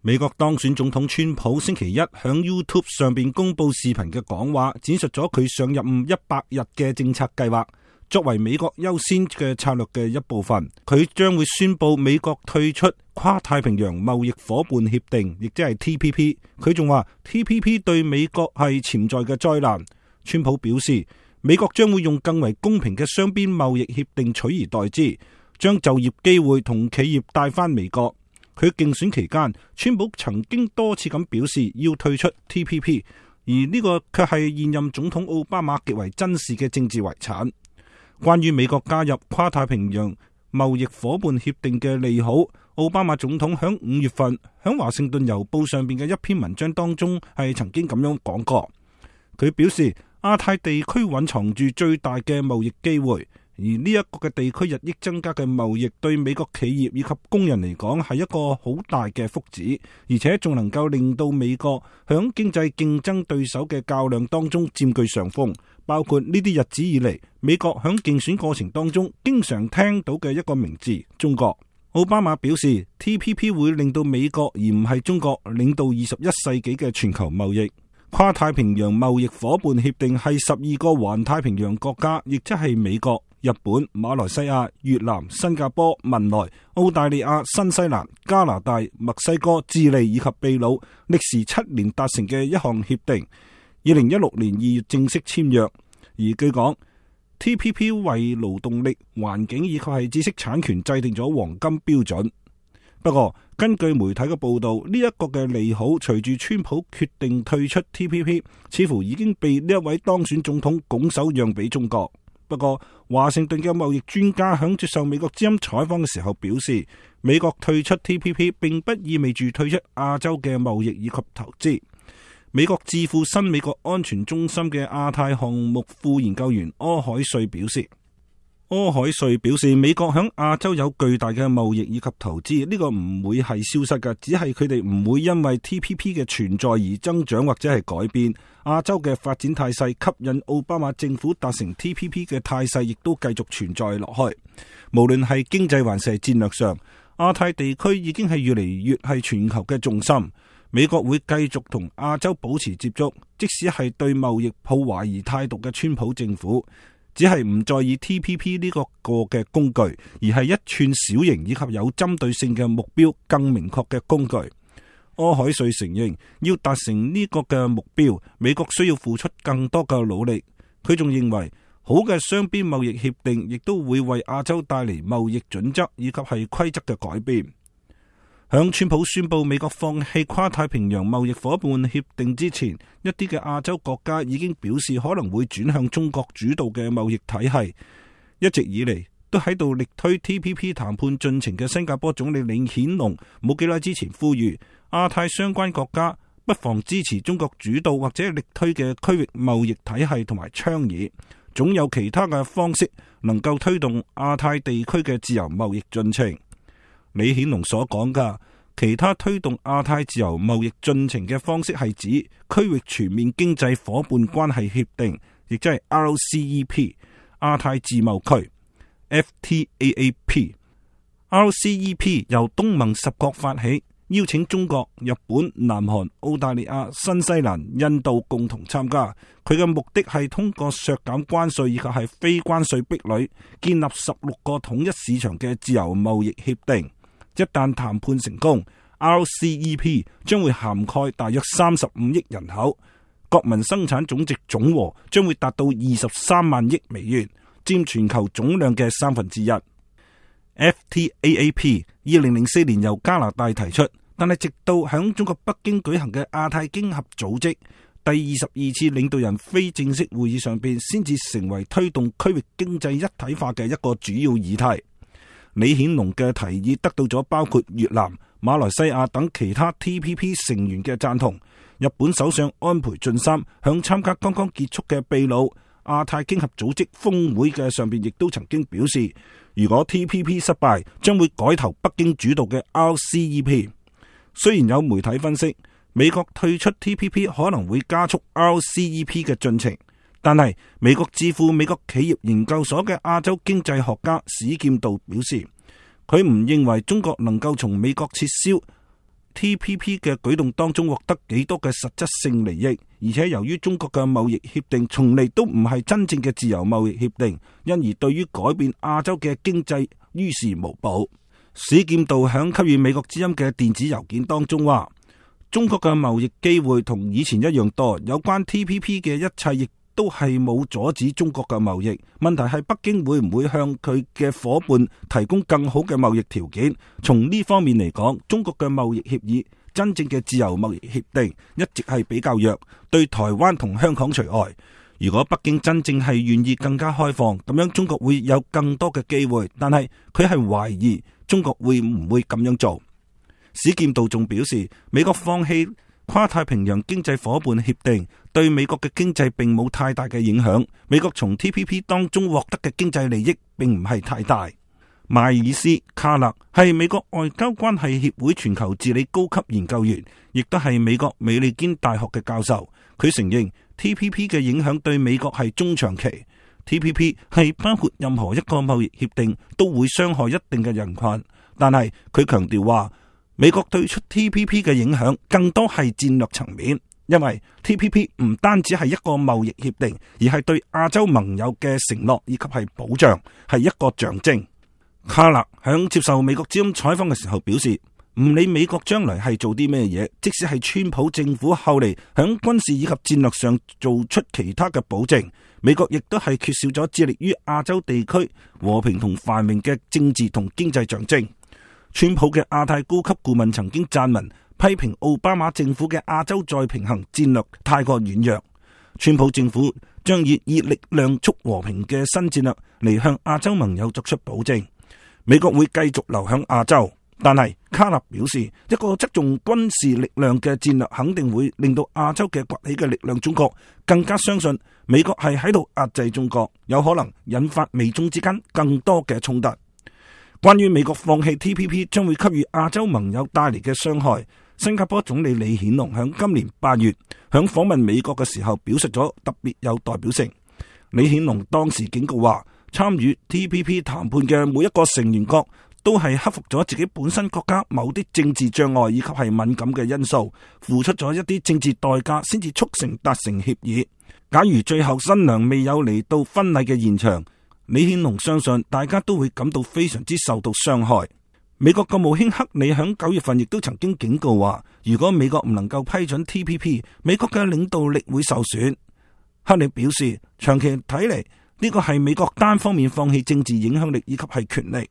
美國當選總統川普星期一響 YouTube 上邊公布視頻嘅講話，展述咗佢上任100日嘅政策計劃。作為美國優先嘅策略嘅一部分，佢將會宣布美國退出跨太平洋貿易夥伴協定，亦即係 TPP。佢仲話 TPP 對美國係潛在嘅災難。川普表示，美國將會用更為公平嘅雙邊貿易協定取而代之，將就業機會同企業帶返美國。佢競選期間，川普曾經多次咁表示要退出 TPP， 而呢個卻係現任總統奧巴馬極為珍視嘅政治遺產。關於美國加入跨太平洋貿易夥伴協定嘅利好，奧巴馬總統響5月份響華盛頓郵報上邊嘅一篇文章當中係曾經咁樣講過。佢表示，亞太地區蘊藏住最大嘅貿易機會。而呢一個嘅地區日益增加嘅貿易對美國企業以及工人嚟講係一個好大嘅福祉，而且仲能夠令到美國響經濟競爭對手嘅較量當中佔據上風。包括呢啲日子以嚟，美國響競選過程當中經常聽到嘅一個名字——中國。奧巴馬表示 ，TPP 會令到美國而唔係中國領導21世紀嘅全球貿易。跨太平洋貿易夥伴協定係12個環太平洋國家，亦即係美國、日本、馬來西亞、越南、新加坡、文萊、澳大利亞、新西蘭、加拿大、墨西哥、智利以及秘魯歷時7年達成嘅一項協定，2016年2月正式簽約。而據講 ，TPP 為勞動力、環境以及係知識產權制定咗黃金標準。不過，根據媒體嘅報道，呢一個嘅利好隨住川普決定退出 TPP， 似乎已經被呢一位當選總統拱手讓俾中國。不過，華盛頓嘅貿易專家響接受美國之音採訪嘅時候表示，美國退出 TPP 並不意味住退出亞洲嘅貿易以及投資。美國智庫新美國安全中心嘅亞太項目副研究員柯海瑞表示，美國響亞洲有巨大嘅貿易以及投資，呢個唔會係消失嘅，只係佢哋唔會因為 TPP 嘅存在而增長或者係改變。亞洲嘅發展態勢吸引奧巴馬政府達成 TPP 嘅態勢亦都繼續存在落去。無論係經濟還是戰略上，亞太地區已經係越嚟越係全球嘅重心。美國會繼續同亞洲保持接觸，即使係對貿易抱懷疑態度嘅川普政府，只係唔再以 TPP 呢個嘅工具，而係一串小型以及有針對性嘅目標更明確嘅工具。柯海瑞承認，要達成呢個嘅目標，美國需要付出更多嘅努力。佢仲認為，好嘅雙邊貿易協定亦都會為亞洲帶嚟貿易準則以及係規則嘅改變。響川普宣布美國放棄跨太平洋貿易夥伴協定之前，一啲嘅亞洲國家已經表示可能會轉向中國主導嘅貿易體系。一直以嚟都喺度力推 TPP 談判進程嘅新加坡總理李顯龍，冇幾耐之前呼籲亞太相關國家不妨支持中國主導或者力推嘅區域貿易體系同埋倡議，總有其他嘅方式能夠推動亞太地區嘅自由貿易進程。李顯龍所講嘅其他推動亞太自由貿易進程嘅方式係指區域全面經濟夥伴關係協定，亦即係 RCEP 亞太自貿區 FTAAP。RCEP 由東盟10國發起，邀請中國、日本、南韓、澳大利亞、新西蘭、印度共同參加。佢嘅目的係通過削減關稅以及係非關稅壁壘，建立16個統一市場嘅自由貿易協定。一旦談判成功， RCEP 將會涵蓋大約35億人口，國民生產總值總和將會達到23萬億美元，佔全球總量嘅1/3。FTAAP 2004年由加拿大提出，但係直到響中國北京舉行嘅亞太經合組織第22次領導人非正式會議上邊，先至成為推動區域經濟一體化嘅一個主要議題。李顯龍嘅提議得到咗包括越南、馬來西亞等其他 TPP 成員嘅贊同。日本首相安倍晉三響參加剛剛結束嘅秘魯亞太經合組織峰會嘅上邊，亦都曾經表示，如果 TPP 失敗，將會改投北京主導嘅 RCEP。雖然有媒體分析，美國退出 TPP 可能會加速 RCEP 嘅進程。但係美國智庫美國企業研究所嘅亞洲經濟學家史劍道表示，佢唔認為中國能夠從美國撤銷 TPP 嘅舉動當中獲得幾多嘅實質性利益，而且由於中國嘅貿易協定從嚟都唔係真正嘅自由貿易協定，因而對於改變亞洲嘅經濟於事無補。史劍道響給予美國之音嘅電子郵件當中話，中國嘅貿易機會同以前一樣多，有關 TPP 嘅一切亦都係冇阻止中國嘅貿易。問題係北京會唔會向佢嘅夥伴提供更好嘅貿易條件？從呢方面嚟講，中國嘅貿易協議真正嘅自由貿易協定一直係比較弱，對台灣同香港除外。如果北京真正係願意更加開放，咁樣中國會有更多嘅機會，但係佢係懷疑中國會唔會咁樣做。史劍道仲表示，美國放棄跨太平洋經濟夥伴協定對美國嘅經濟並冇太大嘅影響，美國從 TPP 當中獲得嘅經濟利益並唔係太大。邁爾斯·卡勒係美國外交關係協會全球治理高級研究員，亦都係美國美利堅大學嘅教授。佢承認 TPP 嘅影響對美國係中長期。TPP 係包括任何一個貿易協定都會傷害一定嘅人群，但係佢強調話，美國退出 TPP 嘅影響更多係戰略層面，因為 TPP 唔單止係一個貿易協定，而係對亞洲盟友嘅承諾以及係保障，係一個象徵。卡勒響接受美國之音採訪嘅時候表示，唔理美國將來係做啲咩嘢，即使係川普政府後嚟響軍事以及戰略上做出其他嘅保證，美國亦都係缺少咗致力於亞洲地區和平同繁榮嘅政治同經濟象徵。川普嘅亞太高級顧問曾經撰文批評奧巴馬政府嘅亞洲再平衡戰略太過軟弱。川普政府將以力量促和平嘅新戰略嚟向亞洲盟友作出保證，美國會繼續留響亞洲。但係卡納表示，一個側重軍事力量嘅戰略肯定會令到亞洲嘅崛起嘅力量中國更加相信美國係喺度壓制中國，有可能引發美中之間更多嘅衝突。關於美國放棄 TPP 將會給予亞洲盟友帶嚟嘅傷害，新加坡總理李顯龍響今年8月響訪問美國嘅時候表述咗特別有代表性。李顯龍當時警告話，參與 TPP 談判嘅每一個成員國都係克服咗自己本身國家某啲政治障礙以及係敏感嘅因素，付出咗一啲政治代價先至促成達成協議。假如最後新娘未有嚟到婚禮嘅現場，李顯龍相信大家都會感到非常之受到傷害。美國國務卿克里響9月份亦都曾經警告話，如果美國唔能夠批准 TPP， 美國嘅領導力會受損。克里表示，長期睇嚟呢個係美國單方面放棄政治影響力以及係權力。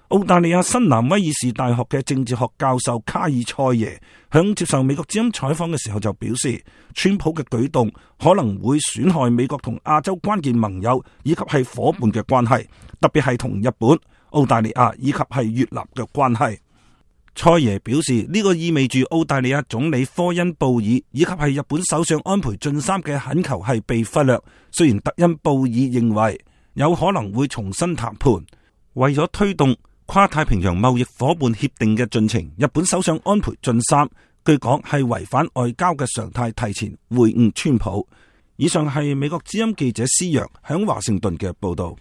澳大利亞新南威爾士大學嘅政治學教授卡爾塞耶響接受美國之音採訪嘅時候就表示，川普嘅舉動可能會損害美國同亞洲關鍵盟友以及係夥伴嘅關係，特別係同日本、澳大利亞以及係越南嘅關係。塞耶表示，呢個意味住澳大利亞總理科恩布爾以及係日本首相安倍晉三嘅懇求係被忽略。雖然特恩布爾認為有可能會重新談判，為咗推動跨太平洋貿易夥伴協定嘅進程，日本首相安倍晉三據講係違反外交嘅常態，提前會晤川普。以上係美國之音記者施洋響華盛頓嘅報道。